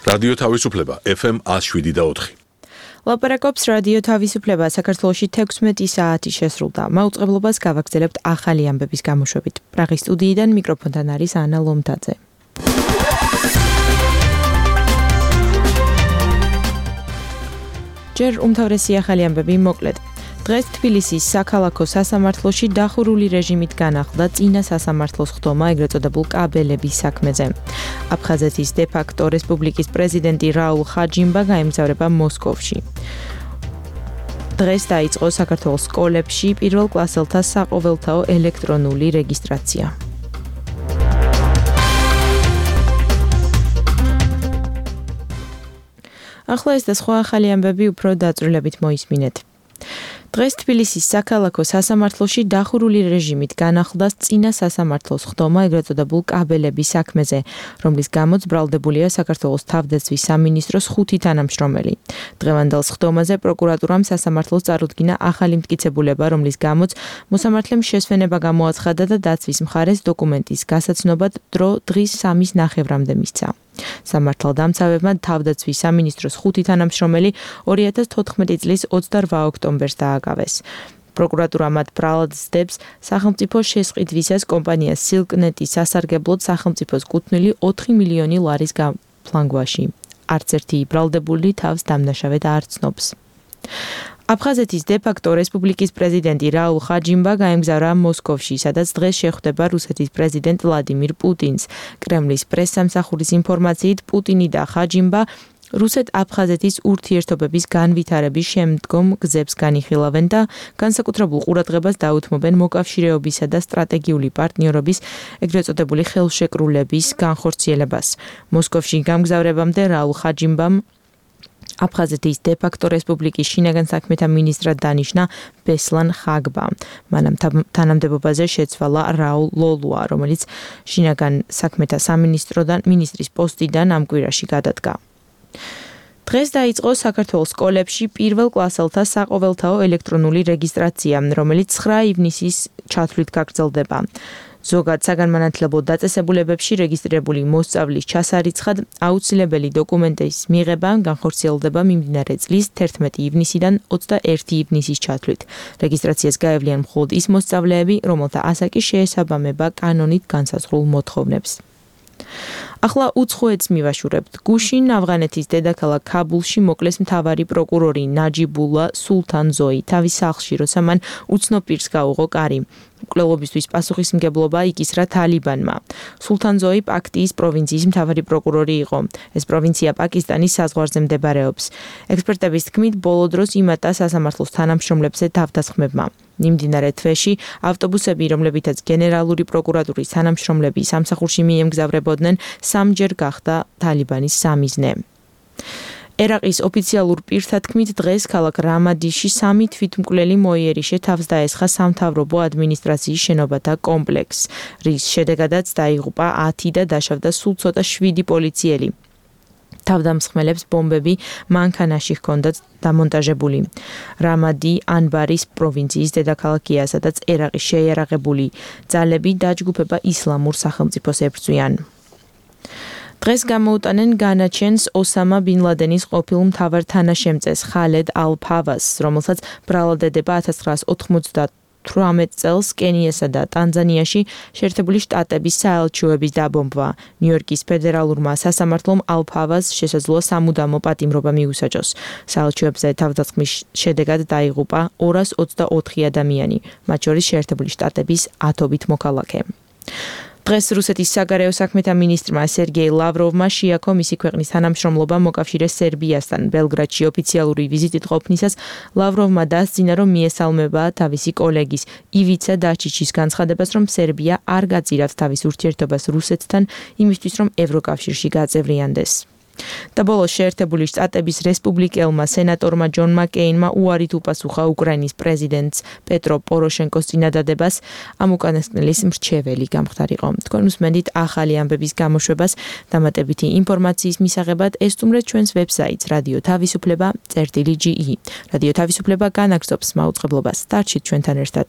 რადიო თავისუფლება FM 107.4. ლაპარაკობს რადიო თავისუფლება საქართველოში 16 საათი შესრულდა. მაუწყებლობას გავაგრძელებთ ახალი ამბების გამოშვებით. პრაღის სტუდიიდან მიკროფონთან არის ანა ლომთაძე. ჯერ უმთავრესი ახალი ამბები მოკლედ. დღეს თბილისის საქალაქო სასამართლოში დახურული რეჟიმით განახლდა წინა სასამართლოს ხდომა ეგრეთ წოდებულ კაბელების საქმეზე. აფხაზეთის დე-ფაქტო რესპუბლიკის პრეზიდენტი რაულ ხაჯიმბა გაემგზავრება მოსკოვში. დღეს დაიწყო საქართველოს სკოლებში პირველ კლასელთა საყოველთაო ელექტრონული რეგისტრაცია. ახლა ეს და სხვა ახალი ამბები უფრო დაწვრილებით მოისმინეთ. დღეს თბილისის საქალაქო სასამართლოში დახურული რეჟიმით განახლდა წინა სასამართლოს ხდომა ეგრეთ წოდებულ კაბელების საქმეზე, რომლის გამოც ბრალდებულია საქართველოს თავდაცვის სამინისტროს 5 თანამშრომელი. დღევანდელ ხდომაზე პროკურატურამ სასამართლოს წარუდგინა ახალი მტკიცებულება, რომლის გამოც მოსამართლემ შესვენება გამოაცხადა და დაცვის მხარეს დოკუმენტის გასაცნობად დრო დღის 3:30-მდე მისცა. სამართალდამცავებმა თავდაცვის სამინისტროს 5 თანამშრომელი 2014 წლის 28 ოქტომბერს დააკავეს. პროკურატურა მათ ბრალად სდებს სახელმწიფო შესყიდვისას კომპანია სილკნეტის სასარგებლოდ სახელმწიფოს კუთვნილი 4 მილიონი ლარის გაფლანგვაში. არც ერთი ბრალდებული თავს დამნაშავედ არ ცნობს. აფხაზეთის დე-ფაქტო რესპუბლიკის პრეზიდენტი რაულ ხაჯიმბა გაემგზავრა მოსკოვში, სადაც დღეს შეხვდება რუსეთის პრეზიდენტ ვლადიმირ პუტინს. კრემლის პრესსამსახურის ინფორმაციით, პუტინი და ხაჯიმბა რუსეთ-აფხაზეთის ურთიერთობების განვითარების შემდგომ გზებს განიხილავენ და განსაკუთრებულ ყურადღებას დაუთმობენ მოკავშირეობისა და სტრატეგიული პარტნიორობის ეგრეთ წოდებული ხელშეკრულების განხორციელებას. მოსკოვში გამგზავრებამდე რაულ ხაჯიმბამ აფხაზეთის დე-ფაქტო რესპუბლიკის შინაგან საქმეთა მინისტრად დანიშნა ბესლან ხაგბა. მანამ თანამდებობაზე შეცვალა რაულ ლოლუა, რომელიც შინაგან საქმეთა სამინისტროდან მინისტრის პოსტიდან ამ კვირაში გადადგა. დღეს დაიწყო საქართველოს სკოლებში პირველ კლასელთა საყოველთაო ელექტრონული რეგისტრაცია, რომელიც 9 ივნისის ჩათვლით გაგრძელდება. ზოგად საგანმანათლებლო დაწესებულებებში რეგისტრირებული მოსწავლის ჩასარიცხად აუცილებელი დოკუმენტის მიღება განხორციელდება მიმდინარე წლის 11 ივნისიდან 21 ივნისის ჩათვლით. რეგისტრაციას გაევლიან მხოლოდ ის მოსწავლეები, რომელთა ასაკი შეესაბამება კანონით განსაზღვრულ მოთხოვნებს. ახლა უცხოეთს მივაშურებთ. გუშინ ავღანეთის დედაქალაქ ქაბულში მოკლეს მთავარი პროკურორი ნაჯიბულა სულთანზოი თავის სახლში, როცა მან უცნობ პირს გაუღო კარი. მკვლელობისთვის პასუხისმგებლობა იკისრა თალიბანმა. სულთანზოი პაქტიის პროვინციის მთავარი პროკურორი იყო. ეს პროვინცია პაკისტანის საზღვარზე მდებარეობს. ექსპერტების თქმით, ბოლო დროს იმატა სასამართლოს თანამშრომლებზე თავდასხმებმა. მიმდინარე თვეში ავტობუსები, რომლებითაც გენერალური პროკურატურის თანამშრომლები სამსახურში მიემგზავრებოდნენ, სამჯერ გახდა თალიბანის სამიზნე. ერაყის ოფიციალურ პირთა თქმით, დღეს ქალაქ რამადიში 3 თვითმკვლელი მოიერიშე თავს დაესხა სამთავრობო ადმინისტრაციის შენობათა კომპლექსს, რის შედეგადაც დაიღუპა 10 და დაშავდა სულ ცოტა 7 პოლიციელი. თავდამსხმელებს ბომბები მანქანაში ჰქონდათ დამონტაჟებული. რამადი ანბარის პროვინციის დედაქალაქია, სადაც ერაყის შეიარაღებული ძალები დაჯგუფება ისლამურ სახელმწიფოს ებრძვიან. დღეს გამოუტანენ განაჩენს ოსამა ბინ ლადენის ყოფილ მთავარ თანაშემწეს ხალედ ალ-ფავას, რომელსაც ბრალადდება 1998 წელს კენიასა და ტანზანიაში შეერთებული შტატების საელჩოების დაბომბვა. ნიუ-იორკის ფედერალურმა სასამართლომ ალ-ფავას შესაძლოა სამუდამო პატიმრობა მიუსაჯოს. საელჩოებზე თავდასხმის შედეგად დაიღუპა 224 ადამიანი, მათ შორის შეერთებული შტატების 10 მოქალაქე. დღეს რუსეთის საგარეო საქმეთა მინისტრმა სერგეი ლავროვმა შეაქო მისი ქვეყნის თანამშრომლობა მოკავშირეს სერბიასთან. ბელგრადში ოფიციალური ვიზიტით ყოფნისას ლავროვმა დასძინა, რომ მიესალმება თავისი კოლეგის ივიცა დაჩიჩის განცხადებას, რომ სერბია არ გაწირავთ თავის ურთიერთობას რუსეთთან იმისთვის, რომ ევროკავშირში გაწევრიანდეს. და ბოლოს შეერთებული შტატების რესპუბლიკელმა სენატორმა ჯონ მაკეინმა უარით უპასუხა უკრაინის პრეზიდენტს პეტრო პოროშენკოს წინადადებას ამ უკანასკნელის მრჩეველი გამხდარიყო. თქვენ უსმენთ ახალი ამბების გამოშვებას. დამატებითი ინფორმაციის მისაღებად ესტუმრეთ ჩვენს ვებსაიტს რადიო თავისუფლება.ge. რადიო თავისუფლება განაგრძობს მაუწყებლობას. დარჩით ჩვენთან ერთად.